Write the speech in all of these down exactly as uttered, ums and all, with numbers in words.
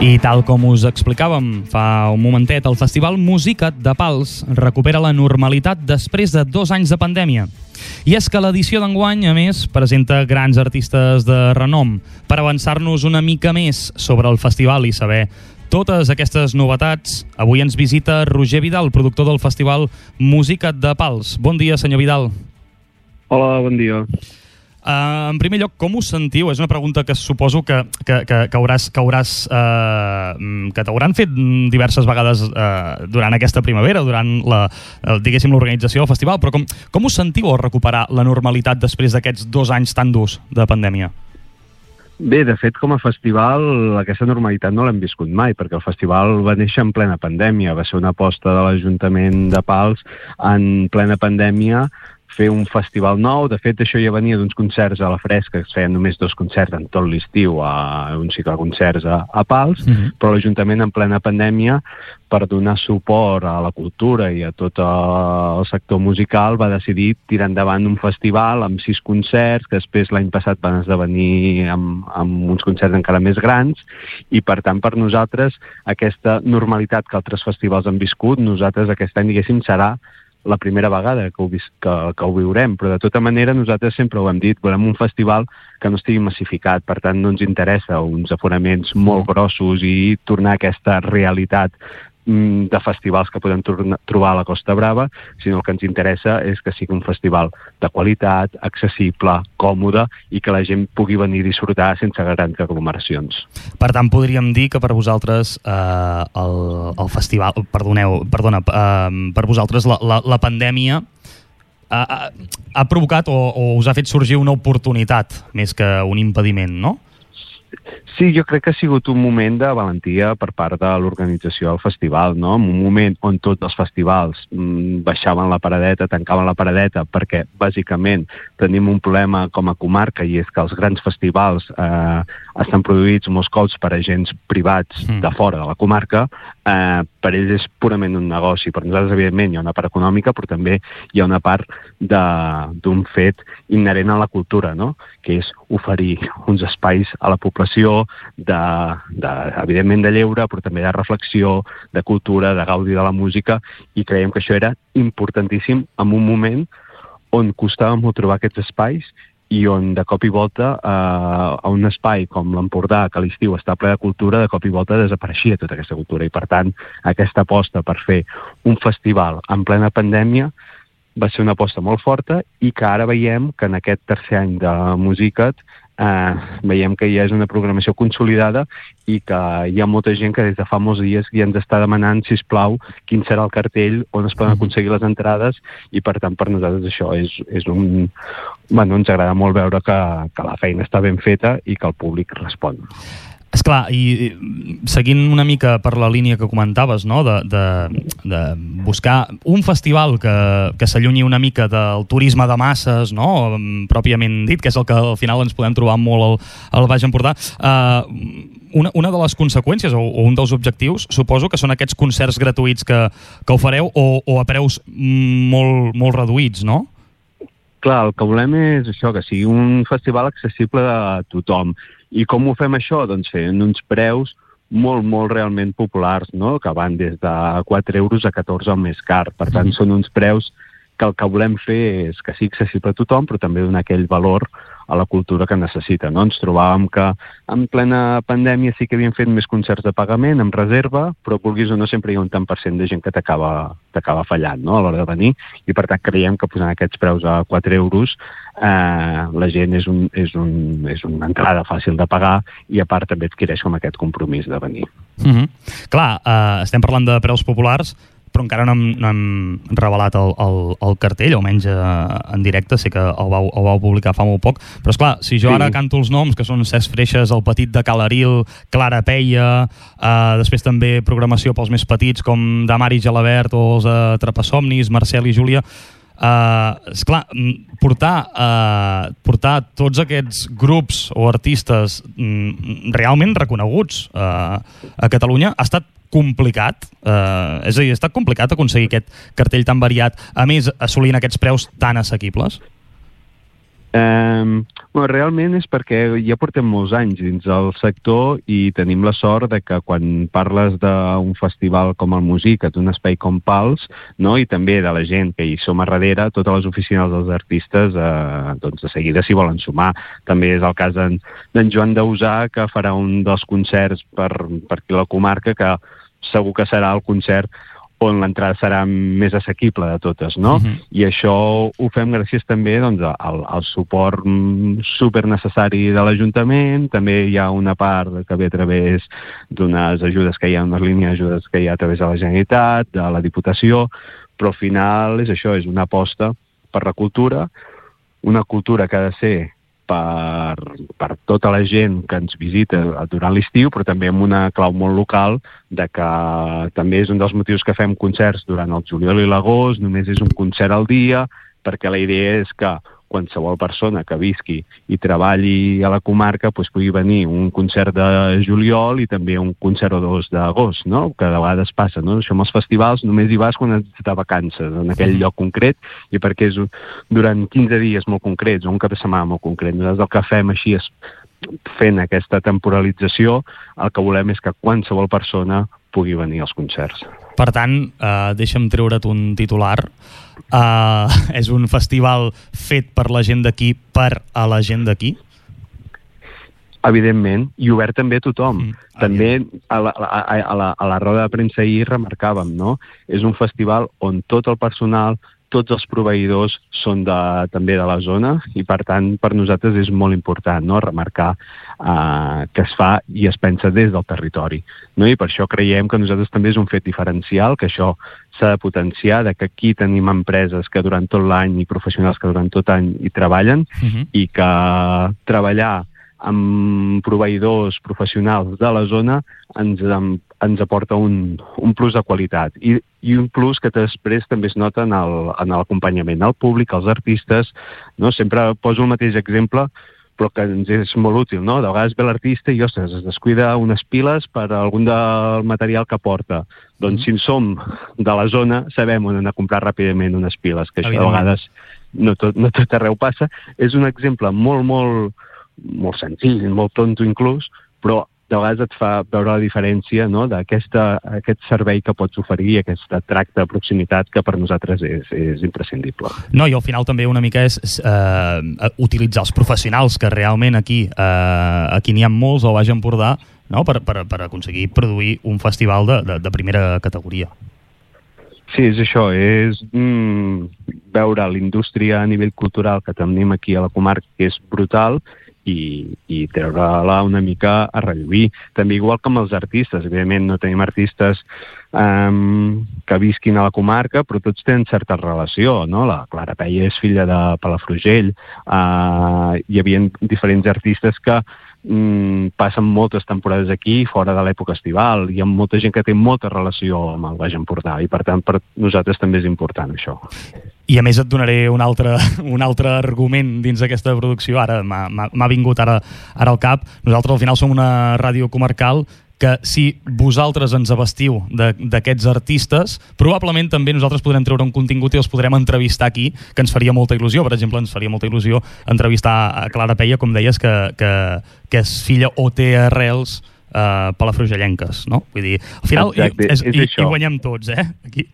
I tal com us explicàvem fa un momentet, el Festival Musica't de Pals recupera la normalitat després de dos anys de pandèmia. I és que l'edició d'enguany, a més, presenta grans artistes de renom. Per avançar-nos una mica més sobre el festival i saber totes aquestes novetats, avui ens visita Roger Vidal, productor del Festival Musica't de Pals. Bon dia, senyor Vidal. Hola, bon dia. Uh, en primer lloc, com us sentiu? És una pregunta que suposo que, que, que, que hauràs, que, hauràs, uh, que t'hauran fet diverses vegades uh, durant aquesta primavera, durant la, uh, diguéssim, l'organització del festival, però com, com us sentiu al recuperar la normalitat després d'aquests dos anys tan durs de pandèmia? Bé, de fet, com a festival, aquesta normalitat no l'hem viscut mai, perquè el festival va néixer en plena pandèmia, va ser una aposta de l'Ajuntament de Pals en plena pandèmia, fer un festival nou. De fet, això ja venia d'uns concerts a la fresca, que es feien només dos concerts en tot l'estiu, a un cicle de concerts a, a Pals, uh-huh. Però l'Ajuntament en plena pandèmia, per donar suport a la cultura i a tot el sector musical, va decidir tirar endavant un festival amb sis concerts, que després l'any passat van esdevenir amb, amb uns concerts encara més grans, i per tant, per nosaltres, aquesta normalitat que altres festivals han viscut, nosaltres aquest any, diguéssim, serà la primera vegada que ho, vis que, que ho viurem, però de tota manera nosaltres sempre ho hem dit, volem un festival que no estigui massificat, per tant no ens interessa uns aforaments molt grossos i tornar a aquesta realitat de festivals que podem trobar a la Costa Brava, sinó el que ens interessa és que sigui un festival de qualitat, accessible, còmode i que la gent pugui venir a disfrutar sense grans aglomeracions. Per tant, podríem dir que per vosaltres eh, el, el festival, perdoneu, perdona, eh, per vosaltres la, la, la pandèmia ha, ha, ha provocat o, o us ha fet sorgir una oportunitat més que un impediment, no? Sí, jo crec que ha sigut un moment de valentia per part de l'organització del festival, no? En un moment on tots els festivals mmm, baixaven la paradeta, tancaven la paradeta, perquè bàsicament tenim un problema com a comarca, i és que els grans festivals eh, estan produïts molts cops per agents privats mm. de fora de la comarca. Eh, per ells és purament un negoci. Per nosaltres, evidentment, hi ha una part econòmica, però també hi ha una part d'un fet inherent a la cultura, no? Que és oferir uns espais a la població de, de, evidentment de lleure, però també de reflexió, de cultura, de gaudi de la música, i creiem que això era importantíssim en un moment on costava molt trobar aquests espais i on de cop i volta eh, a un espai com l'Empordà, que a l'estiu està ple de cultura, de cop i volta desapareixia tota aquesta cultura, i per tant aquesta aposta per fer un festival en plena pandèmia va ser una aposta molt forta, i que ara veiem que en aquest tercer any de Musica't eh, veiem que ja és una programació consolidada i que hi ha molta gent que des de fa molts dies ja ens està demanant, sisplau, quin serà el cartell, on es poden aconseguir les entrades, i per tant per nosaltres això és, és un... Bueno, ens agrada molt veure que, que la feina està ben feta i que el públic respon. Esclar, i seguint una mica per la línia que comentaves, no? de, de, de buscar un festival que, que s'allunyi una mica del turisme de masses, no? Pròpiament dit, que és el que al final ens podem trobar molt al, al Baix Empordà, uh, una, una de les conseqüències o, o un dels objectius suposo que són aquests concerts gratuïts que, que ofereu o, o a preus molt, molt reduïts, no? Clar, el que volem és això, que sigui un festival accessible a tothom. I com ho fem això? Doncs fent uns preus molt, molt realment populars, no? Que van des de quatre euros a catorze el més car. Per tant, mm. són uns preus que el que volem fer és que sigui accessible a tothom, però també donar aquell valor a la cultura que necessita, no? Ens trobàvem que en plena pandèmia sí que havíem fet més concerts de pagament, amb reserva, però vulguis o no sempre hi ha un tant per cent de gent que t'acaba t'acaba fallant, no? A l'hora de venir, i per tant creiem que posant aquests preus a quatre euros eh, la gent és, un, és, un, és una entrada fàcil de pagar, i a part també adquireix com aquest compromís de venir. Mm-hmm. Clar, eh, estem parlant de preus populars, però encara no hem, no hem revelat el, el, el cartell, almenys eh, en directe, sé que el vau, el vau publicar fa molt poc, però esclar, si jo sí. ara canto els noms, que són Cesc Freixes, el Petit de Calaril, Clara Peia, eh, després també programació pels més petits, com Damari Gelabert o els de Trapasomnis, Marcel i Júlia, Uh, esclar, portar, uh, portar tots aquests grups o artistes mm, realment reconeguts uh, a Catalunya ha estat complicat, uh, és a dir, ha estat complicat aconseguir aquest cartell tan variat, a més assolint aquests preus tan assequibles? Um, bueno, realment és perquè ja portem molts anys dins del sector i tenim la sort de que quan parles d'un festival com el Musicat, un espai com Pals, no? I també de la gent que hi som a darrere, totes les oficines dels artistes eh, doncs de seguida s'hi volen sumar. També és el cas d'en Joan Dausà, que farà un dels concerts per, per aquí a la comarca, que segur que serà el concert on l'entrada serà més assequible de totes, no? Uh-huh. I això ho fem gràcies també doncs, al, al suport super necessari de l'Ajuntament. També hi ha una part que ve a través d'unes ajudes que hi ha, unes línies d'ajudes que hi ha a través de la Generalitat, de la Diputació, però al final és això, és una aposta per la cultura, una cultura que ha de ser per, per tota la gent que ens visita durant l'estiu, però també amb una clau molt local, de que també és un dels motius que fem concerts durant el juliol i l'agost, només és un concert al dia, perquè la idea és que qualsevol persona que visqui i treballi a la comarca doncs pugui venir un concert de juliol i també un concert o dos d'agost, no? Que de vegades passa, no? Això amb els festivals només hi vas quan ets de vacances, en aquell lloc concret, i perquè és durant quinze dies molt concrets o un cap de setmana molt concret. Nosaltres el que fem així és, fent aquesta temporalització, el que volem és que qualsevol persona pugui venir als concerts. Per tant, eh, deixa'm treure't un titular. Uh, és un festival fet per la gent d'aquí, per a la gent d'aquí? Evidentment, i obert també a tothom. Mm, també a la, a, a, la, a la roda de premsa ahir remarcàvem, no? És un festival on tot el personal, tots els proveïdors són de, també de la zona, i per tant per nosaltres és molt important, no? Remarcar eh, que es fa i es pensa des del territori, no? I per això creiem que nosaltres també és un fet diferencial, que això s'ha de potenciar, de que aquí tenim empreses que durant tot l'any i professionals que durant tot l'any hi treballen, uh-huh. i que treballar amb proveïdors professionals de la zona ens, ens aporta un, un plus de qualitat i, i un plus que després també es nota en l'acompanyament al públic, als artistes, no? Sempre poso el mateix exemple, però que ens és molt útil, no? De vegades ve l'artista i, ostres, es descuida unes piles per algun del material que porta. Doncs si som de la zona, sabem on anar a comprar ràpidament unes piles, que això de vegades no tot, no tot arreu passa. És un exemple molt, molt molt senzill, molt tonto inclús, però de vegades et fa veure la diferència, no? D'aquest servei que pots oferir, aquest tracte de proximitat que per nosaltres és, és imprescindible. No, i al final també una mica és eh, utilitzar els professionals, que realment aquí eh, aquí n'hi ha molts al Baix Empordà, no? per, per, per aconseguir produir un festival de, de, de primera categoria. Sí, és això, és mm, veure l'indústria a nivell cultural que tenim aquí a la comarca, que és brutal, i, i treure-la una mica a relluir. També igual que amb els artistes, evidentment no tenim artistes um, que visquin a la comarca, però tots tenen certa relació, no? La Clara Peia és filla de Palafrugell, uh, hi havia diferents artistes que mm, passen moltes temporades aquí fora de l'època estival, hi ha molta gent que té molta relació amb el Baix Empordà i per tant per nosaltres també és important això. I a més et donaré un altre, un altre argument dins d'aquesta producció, ara m'ha vingut ara, ara al cap. Nosaltres al final som una ràdio comarcal que si vosaltres ens abastiu d'aquests artistes, probablement també nosaltres podrem treure un contingut i els podrem entrevistar aquí, que ens faria molta il·lusió. Per exemple, ens faria molta il·lusió entrevistar a Clara Peia, com deies, que, que, que és filla o té arrels eh, palafrugellenques, no? Vull dir, al final Exacte, és, és i, això. i guanyem tots, eh? Aquí.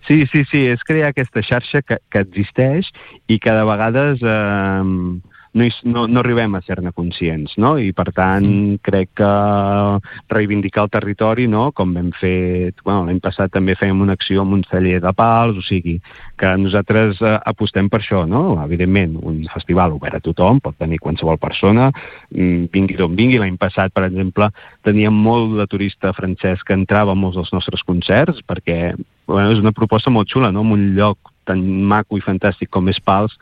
Sí, sí, sí, és crear aquesta xarxa que, que existeix i que de vegades eh, no, no, no arribem a ser-ne conscients, no? I per tant mm. crec que reivindicar el territori, no? Com vam fer, bueno, l'any passat també fèiem una acció amb un celler de Pals, o sigui, que nosaltres eh, apostem per això, no? Evidentment, un festival obert a tothom, pot tenir qualsevol persona, vingui d'on vingui. L'any passat, per exemple, teníem molt de turista francès que entrava a molts dels nostres concerts, perquè bueno, és una proposta molt xula, no? En un lloc tan maco i fantàstic com és Pals,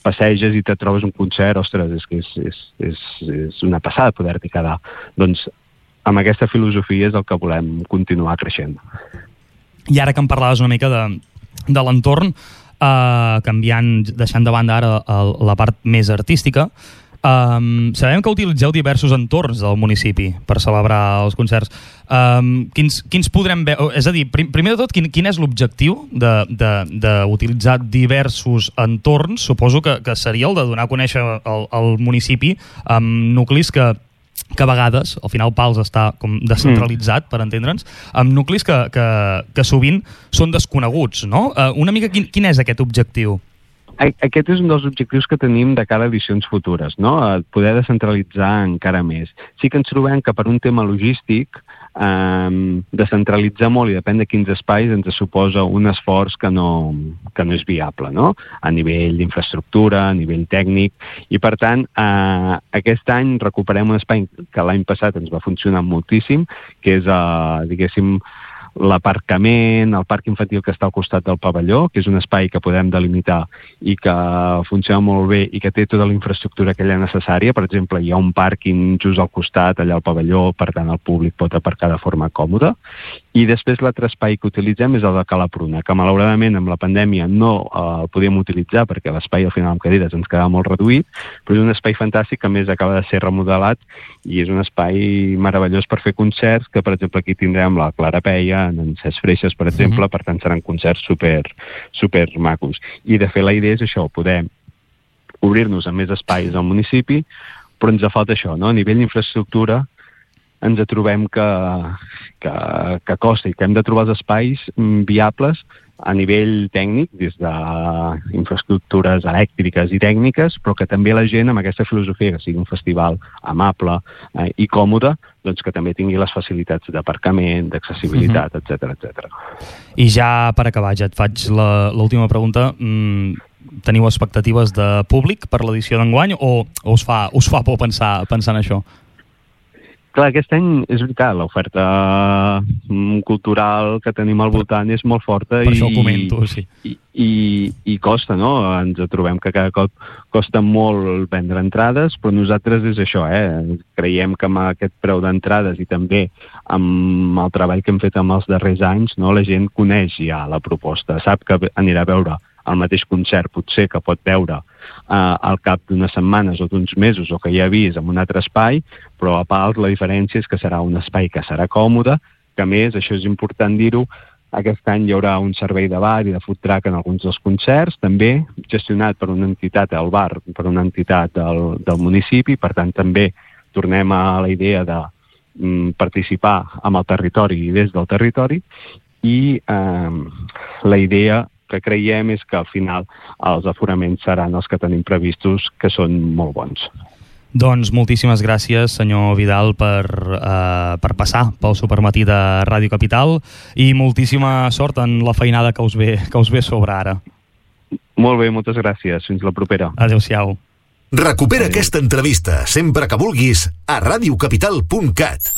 passeges i te trobes un concert, ostres, és que és, és, és, és una passada poder-t'hi quedar. Doncs amb aquesta filosofia és el que volem continuar creixent. I ara que em parlaves una mica de, de l'entorn, eh, canviant, deixant de banda ara el, la part més artística, Um, sabem que utilitzeu diversos entorns del municipi per celebrar els concerts. Um, quins, quins podrem veure? És a dir, prim, primer de tot, quin, quin és l'objectiu d'utilitzar diversos entorns? Suposo que, que seria el de donar a conèixer el, el municipi amb nuclis que que a vegades, al final Pals està com descentralitzat, mm. per entendre'ns, amb nuclis que, que, que sovint són desconeguts, no? Uh, una mica quin, quin és aquest objectiu? Aquest és un dels objectius que tenim de cara a edicions futures, no? Poder descentralitzar encara més. Sí que ens trobem que per un tema logístic eh, descentralitzar molt i depèn de quins espais ens suposa un esforç que no, que no és viable, no? A nivell d'infraestructura, a nivell tècnic, i per tant eh, aquest any recuperem un espai que l'any passat ens va funcionar moltíssim, que és, eh, diguéssim, l'aparcament, el parc infantil que està al costat del pavelló, que és un espai que podem delimitar i que funciona molt bé i que té tota la infraestructura aquella necessària. Per exemple, hi ha un pàrquing just al costat, allà al pavelló, per tant el públic pot aparcar de forma còmoda. I després l'altre espai que utilitzem és el de Cala Pruna, que malauradament amb la pandèmia no eh, el podíem utilitzar perquè l'espai al final amb cadires ens quedava molt reduït, però és un espai fantàstic que a més acaba de ser remodelat i és un espai meravellós per fer concerts, que per exemple aquí tindrem la Clara Peia, en Cesc Freixes, per exemple, uh-huh. per tant seran concerts super, super macos. I de fet la idea és això, poder obrir-nos a més espais al municipi, però ens falta això, no? A nivell d'infraestructura ens trobem que, que, que costa i que hem de trobar els espais viables a nivell tècnic, des d'infraestructures elèctriques i tècniques, però que també la gent amb aquesta filosofia, que sigui un festival amable eh, i còmode, doncs que també tingui les facilitats d'aparcament, d'accessibilitat, uh-huh. etcètera, etcètera. I ja per acabar, ja et faig l'última pregunta. Mm, teniu expectatives de públic per l'edició d'enguany o, o us, fa, us fa por pensar, pensar en això? Clar, aquest any és veritat, l'oferta cultural que tenim al voltant és molt forta. Per i, això ho comento, sí. I, i, i costa, no? Ens trobem que cada cop costa molt vendre entrades, però nosaltres és això, eh? Creiem que amb aquest preu d'entrades i també amb el treball que hem fet amb els darrers anys, no? La gent coneix ja la proposta, sap que anirà a veure el mateix concert potser que pot veure eh, al cap d'unes setmanes o d'uns mesos o que ja ha vist en un altre espai, però a Pals la diferència és que serà un espai que serà còmode, que a més, això és important dir-ho, aquest any hi haurà un servei de bar i de food truck en alguns dels concerts, també gestionat per una entitat, el bar, per una entitat del, del municipi, per tant també tornem a la idea de mm, participar amb el territori i des del territori, i eh, la idea que creiem és que al final els aforaments seran els que tenim previstos, que són molt bons. Doncs moltíssimes gràcies, senyor Vidal, per, eh, per passar pel Supermatí de Ràdio Capital i moltíssima sort en la feinada que us ve, que us ve sobre ara. Molt bé, moltes gràcies. Fins la propera. Adéu-siau. Recupera Adéu. Aquesta entrevista sempre que vulguis a ràdio capital punt cat.